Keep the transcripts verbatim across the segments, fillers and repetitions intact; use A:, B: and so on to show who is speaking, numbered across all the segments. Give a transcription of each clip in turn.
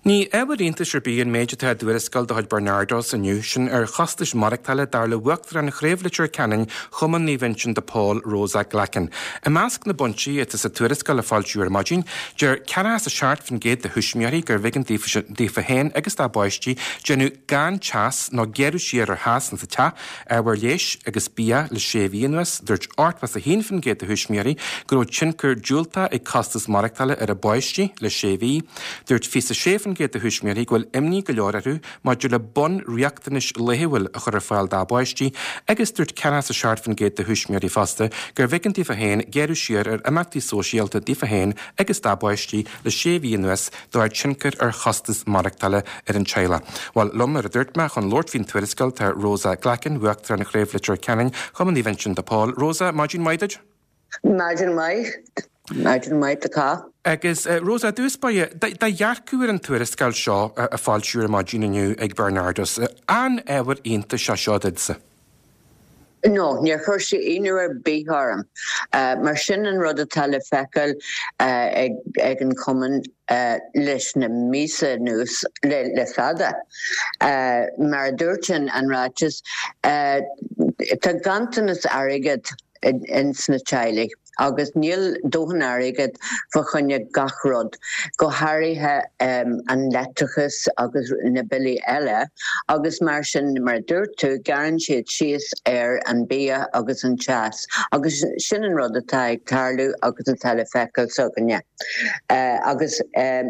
A: Ní ábhar iontais ar bith an méid atá i dtuarascáil de chuid Barnardos inniu, sin ar chostais maireachtála dar le Uachtarán Chraobh Leitir Ceanainn Chumann Naomh Uinseann de Pól, Rosa Glackin. I measc na bpointí atá sa tuarascáil a foilsíodh ar maidin, deir ceathracha a seacht faoin gcéad de thuismitheoirí gurbh éigean daofa féin agus dá bpáistí déanamh gan teas nó gearradh siar ar theas insa teach, ábhair leighis agus bia le sé mhí anuas. Dúirt ochtó a haon faoin gcéad de thuismitheoirí go raibh tionchar diúltach ag costas maireachtála ar a bpáistí le sé mhí. Dúirt fiche a sé faoin gcéad de thuismitheoirí go bhfuil imní go leor orthu maidir le bunriachtanais laethúil a chur ar fáil dá bpáistí agus dúirt ceathracha a seacht faoin gcéad de thuismitheoirí fosta gurbh éigean daofa féin gearradh siar ar imeachtaí sóisialta daofa féin agus dá bpáistí le sé mhí anuas de bharr tionchar ar chostas maireachtála ar an teaghlach. Bhuel, liom mar a dúirt mé chun labhairt faoin tuarascáil tá Rosa Glackin, Uachtarán Chraobh Leitir Ceanainn, Chumann Naomh Uinseann de Pól. Rosa, maidin mhaith duit?
B: Maidin mhaith. Maidin mhaith do chách.
A: Agus Rosa, i dtús báire, do dhearcadh ar an tuarascáil seo a foilsíodh ar maidin inniu ag Barnardos, an ábhar iontais é seo duitse?
B: No, níor chuir sé ionadh ar bith orm. Mar sin an rud atá le feiceáil ag an chumann leis na míosa anuas le fada. Mar a dúirt an ráiteas, tá ganntanas airgid ins na teaghlaigh agus níl dóthain airgid fá choinne gach rud, go háirithe an leictreachas agus na billí eile agus mar sin, mar a dúirt tú, gearrann siad síos ar an bia agus an teas agus sin an rud atá ag tarlú agus atá le feiceáil s'againne. Agus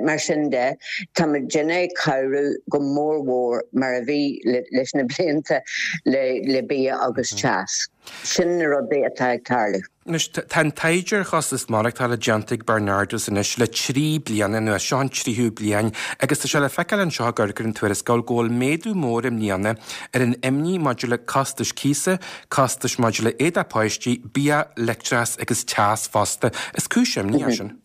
B: mar sin de, tá muidinne ag cabhrú go mór mhór mar a bhí leis na blianta le bia agus teas. Sin na rudaí atá ag tarlú.
A: Anois, tá an taighde ar chostas maireachtála déanta ag Barnardos anois le trí bliana anuas, seo an tríú bliain, agus tá sé le feiceáil anseo i gcorcaigh ar an tuarascáil go bhfuil méadú mór i mbliana ar an imní maidir le costais cíosa, costais maidir le éadaí páistí, bia, leictreachas agus teas fosta. Is cúis imní é sin.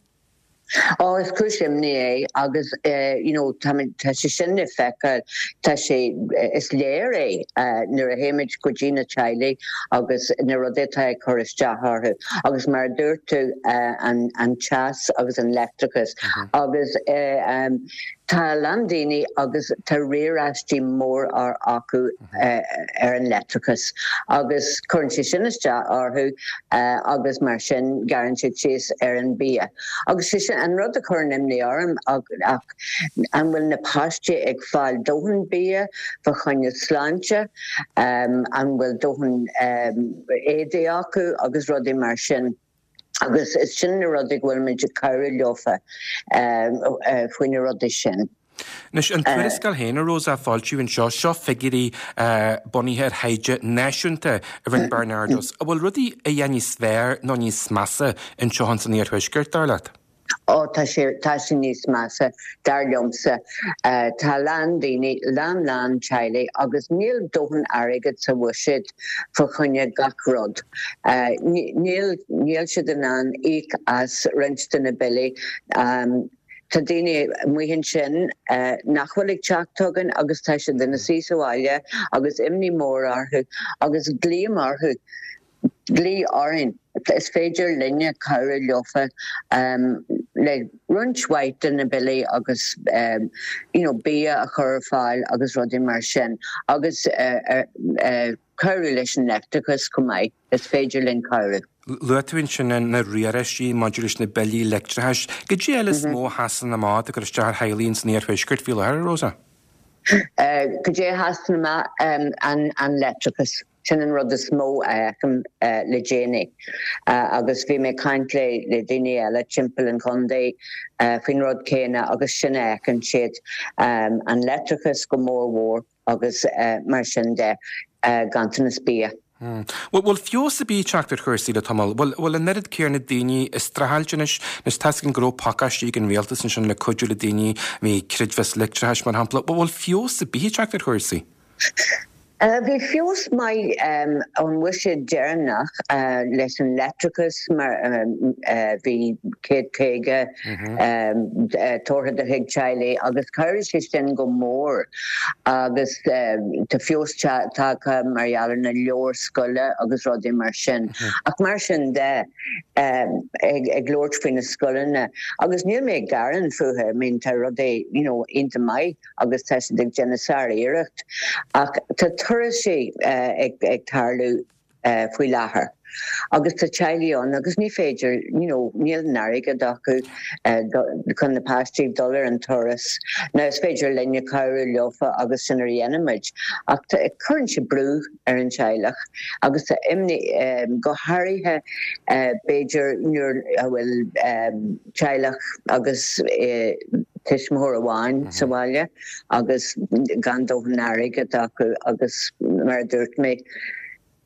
B: Ó, is cúis imní é agus you know tá tá sé sin le feiceáil, tá sé, is léir é nuair a théimid go dtí na teaghlaigh agus na rudaí atá ag cur isteach orthu agus mar a dúirt tú an an teas agus an leictreachas agus tá a lán daoine agus tá riaráistí mór acu ar an leictreachas agus cuireann sé sin isteach orthu agus mar sin gearrann siad síos ar an bia. Agus sé sin an rud a chuireann imní orm ach an bhfuil na páistí ag fáil dóthain bia fá choinne sláinte, an bhfuil dóthain éadaí acu agus rudaí mar sin. Agus is sin na rudaí go bhfuil muid ag cabhrú leofa faoi na rudaí sin.
A: Anois, an tuarascáil féin, a Rosa, a foilsíodh anseo, seo figiúirí bunaithe ar thaighde náisiúnta a rinne Barnardos. An bhfuil rudaí a dhath níos fearr nó níos measa anseo ins an Iarthuaisceart, dar leat?
B: Ó, tá sé, tá sé níos measa, dar liomsa. Tá a lán daoine, lán lán teaghlaigh agus níl dóthain airgid sa bhuiséad fá choinne gach rud. Níl, níl siad in ann íoc as roinnt de na billí. Tá daoine amuigh ansin nach bhfuil ag teacht chugainn agus tá siad ina suí sa bhaile agus imní mór orthu agus glaoim orthu. Glaoigh orainn. Is féidir linne cabhrú leofa le roinnt mhaith de na billí agus you know bia a chur ar fáil agus rudaí mar sin agus cabhrú leis an leictreachas chomh maith. Is féidir linn cabhrú.
A: Luaigh tú ansin na riaráistí maidir leis na billí leictreachais. Cad é eile is mó a sheasann amach ag cur isteach ar theaghlaigh ins an Iarthuaisceart faoi láthair, a Rosa?
B: Cad é a sheasann amach? An leictreachas. Sin an rud is mó a fheicim le déanaí. Agus bhí mé ag caint le daoine eile timpeall an chontae faoin rud céanna agus sin a fheiceann siad, an leictreachas go mór mhór agus mar sin de, ganntanas bia.
A: Bhfuil feabhas ar bith ag teacht ar chúrsaí le tamall? Bhfuil an oiread céanna daoine ag streachailt anois? Anois tá's againn go raibh pacáistí ag an rialtas ansin le cuidiú le daoine, bhí creidmheas leictreachais mar shampla. Bhfuil feabhas ar bith ag teacht ar chúrsaí?
B: Bhí feabhas maith ón bhuiséad deireanach leis an leictreachas mar bhí céad caoga tabhartha do chuid teaghlaigh agus chabhraigh sé sin go mór agus tá feabhas tagtha mar gheall ar na leabhair scoile agus rudaí mar sin. Ach mar sin de, ag labhairt faoi na scoileanna agus níl mé ag gearán fúthu, I mean tá rudaí you know iontach maith agus tá siad ag déanamh sár-iarracht ach tá turais ag tarlú faoi láthair agus tá teaghlaigh ann agus ní féidir you know níl an airgead acu chun na páistí dul ar an turas. Now is féidir linne cabhrú leofa agus sin a dhéanaimid ach cuireann sé brú ar an teaghlach agus tá imní go háirithe b'fhéidir nuair a bhfuil teaghlach agus tuismitheoir amháin sa bhaile agus gan dóthain airgead acu agus mar a dúirt mé,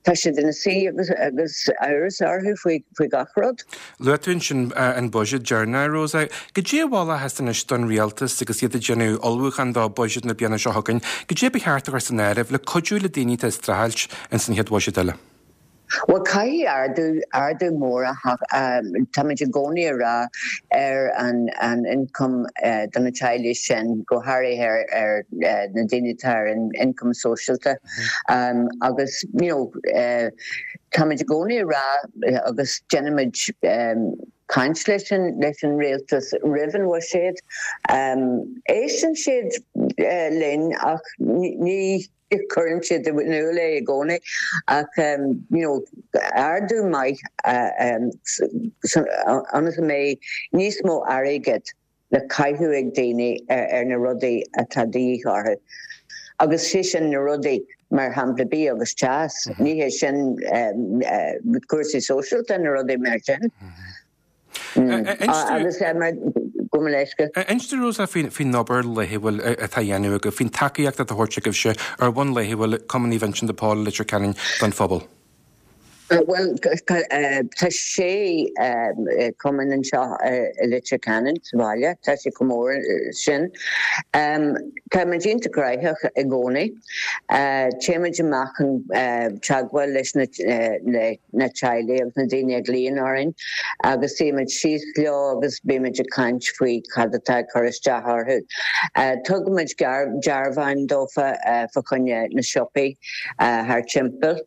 B: tá siad ina suí agus agus amhras orthu faoi faoi gach rud.
A: Luaigh tú ansin an buiséad deireanach, Rosa. Goidé a mholfá anois don rialtas agus iad ag déanamh ullmhúchán do bhuiséad na bliana seo chugainn, goidé ba cheart a chur san áireamh le cuidiú le daoine atá ag streachailt ins an chéad bhuiséad eile?
B: Bhuel, caithfidh ardú, ardú mór a táimid i gcónaí a rá ar an an ioncam do na teaghlaigh sin, go háirithe ar ar na daoine atá ar an ioncam sóisialta. Agus you know táimid i gcónaí a rá agus déanaimid caint leis an leis an rialtas roimh an bhuiséad. Éisteann siad linn ach ní cuireann siad in iúl é i gcónaí ach you know ardú maith ionas go mbeidh níos mó airgead le caitheamh ag daoine ar na rudaí atá de dhíth orthu. Agus sé sin na rudaí mar shampla bia agus teas, ní hé sin cúrsaí sóisialta na rudaí mar sin. Agus go mo leithscéal.
A: Inis dúinn, Rosa, faoin obair laethúil atá á dhéanamh agaibh, faoin tacaíocht atá á thabhairt agaibhse ar bhonn laethúil Cumann Naomh Uinseann de Pól i Leitir Ceanainn don phobal.
B: Bhuel, tá sé cumann anseo i Leitir Ceanainn sa bhaile, tá sé chomh mór sin. Táimid iontach gnóthach i gcónaí. Téimid amach chun teagmháil leis na na teaghlaigh agus na daoine a ghlaonn orainn agus suímid síos leo agus bímid ag caint faoi cad atá ag cur isteach orthu. Tugaimid dearbháin dófa fa choinne na siopaí thar timpeall.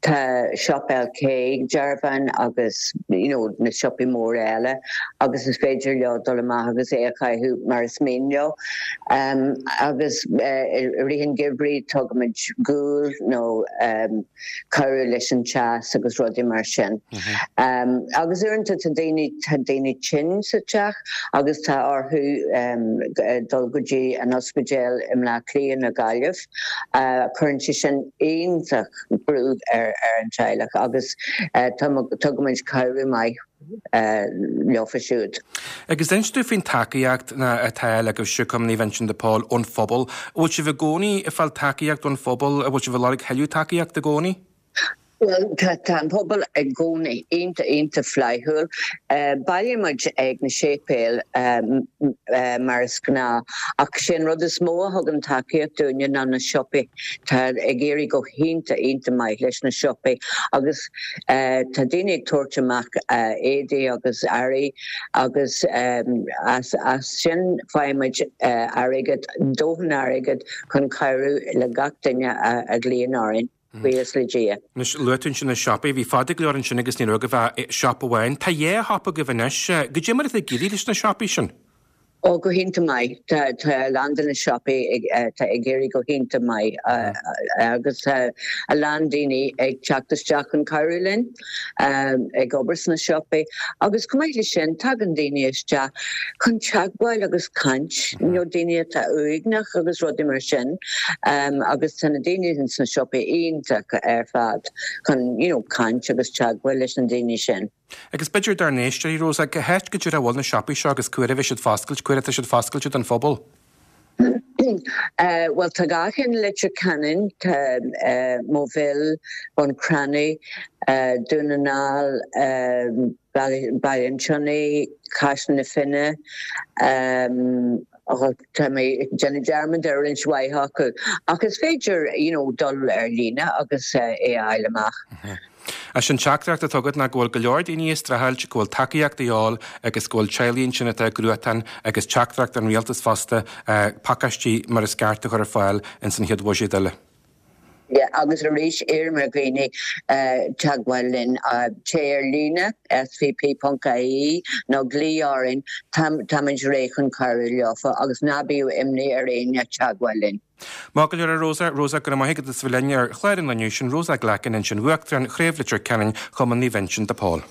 B: Tá Siopa LK ag dearbháin agus you know na siopaí móra eile agus is féidir leo dul amach agus é a chaitheamh mar is mian leo. Agus i rith an gheimhridh tugaimid gual nó cabhrú leis an teas agus rudaí mar sin. Agus uaireanta tá daoine tá daoine tinn sa teach agus tá orthu dul go dtí an ospidéal i mBleá Cliath nó Gaillimh. Cuireann sé sin iontach brú ar ar an teaghlach agus tugaimid cabhrú maith leofa siúd.
A: Agus inis dúinn faoin tacaíocht atá agaibhse, Cumann Naomh Uinseann de Pól, ón phobal. An bhfuil sibh i gcónaí ag fáil tacaíocht ón phobal? An bhfuil sibh ag lorg thuilleadh tacaíocht i gcónaí?
B: Bhuel, tá tá an pobal i gcónaí iontach iontach flaithiúil. Bailímid ag na séipéil mar is gnáth ach sé an rud is mó a thugann tacaíocht dúinne ná na siopaí. Tá ag éirí go hiontach iontach maith leis na siopaí agus tá daoine ag tabhairt amach éadaí agus earraí agus as as sin faighimid airgead, dóthain airgid chun cabhrú le gach duine a ghlaonn orainn. Buíochas le Dia.
A: Anois, luaigh tú ansin na siopaí. Bhí fada go leor ansin agus ní raibh agaibh ach siopa amháin. Tá dhá shiopa agaibh anois. Goidé mar atá ag éirí leis na siopaí sin?
B: Ó, go hiontach maith. Tá a lán de na siopaí ag tá ag éirí go hiontach maith agus tá a lán daoine ag teacht isteach chun cabhrú linn ag obair sna siopaí. Agus chomh maith leis sin, tagann daoine isteach chun teagmháil agus caint, you know daoine atá uaigneach agus rudaí mar sin agus tá na daoine sna siopaí iontach ar fad chun you know caint agus teagmháil leis na daoine sin.
A: Agus b'fhéidir dár n-éisteoirí, Rosa, cá háit go díreach a bhfuil na siopaí seo agus cá huair a bheidh siad foscailte, cá huair atá siad foscailte don phobal?
B: Bhuel tá dhá cheann i Leitir Ceanainn, tá Moville, Bun Cranncha, Dún na nGall, Baile an tSionnaigh, Caisleán na Finne, Tá mé ag déanamh dearmad ar roinnt mhaith acu ach is féidir you know dul ar líne agus é a fháil amach.
A: Is an teachtaireacht atá agat ná go bhfuil go leor daoine ag streachailt, go bhfuil tacaíocht de dhíobháil agus go bhfuil teaghlaigh ansin atá i gcruatan agus teachtaireacht an rialtais fosta pacáistí mar is ceart a chur ar fáil ins an chéad bhuiséad eile.
B: Yeah, agus arís iarraim ar dhaoine teagmháil linn, téigh ar líne, svp.ie, nó glaoigh orainn, táimid réidh chun cabhrú leofa agus ná bíodh imní ar éinne teagmháil linn.
A: Maith go leor a Rosa, Rosa, go raibh maith agat as bheith linn ar chlár an lae inniu, sin Rosa Glackin ansin, Uachtarán Chraobh Leitir Ceanainn Chumann Naomh Uinseann de Pól.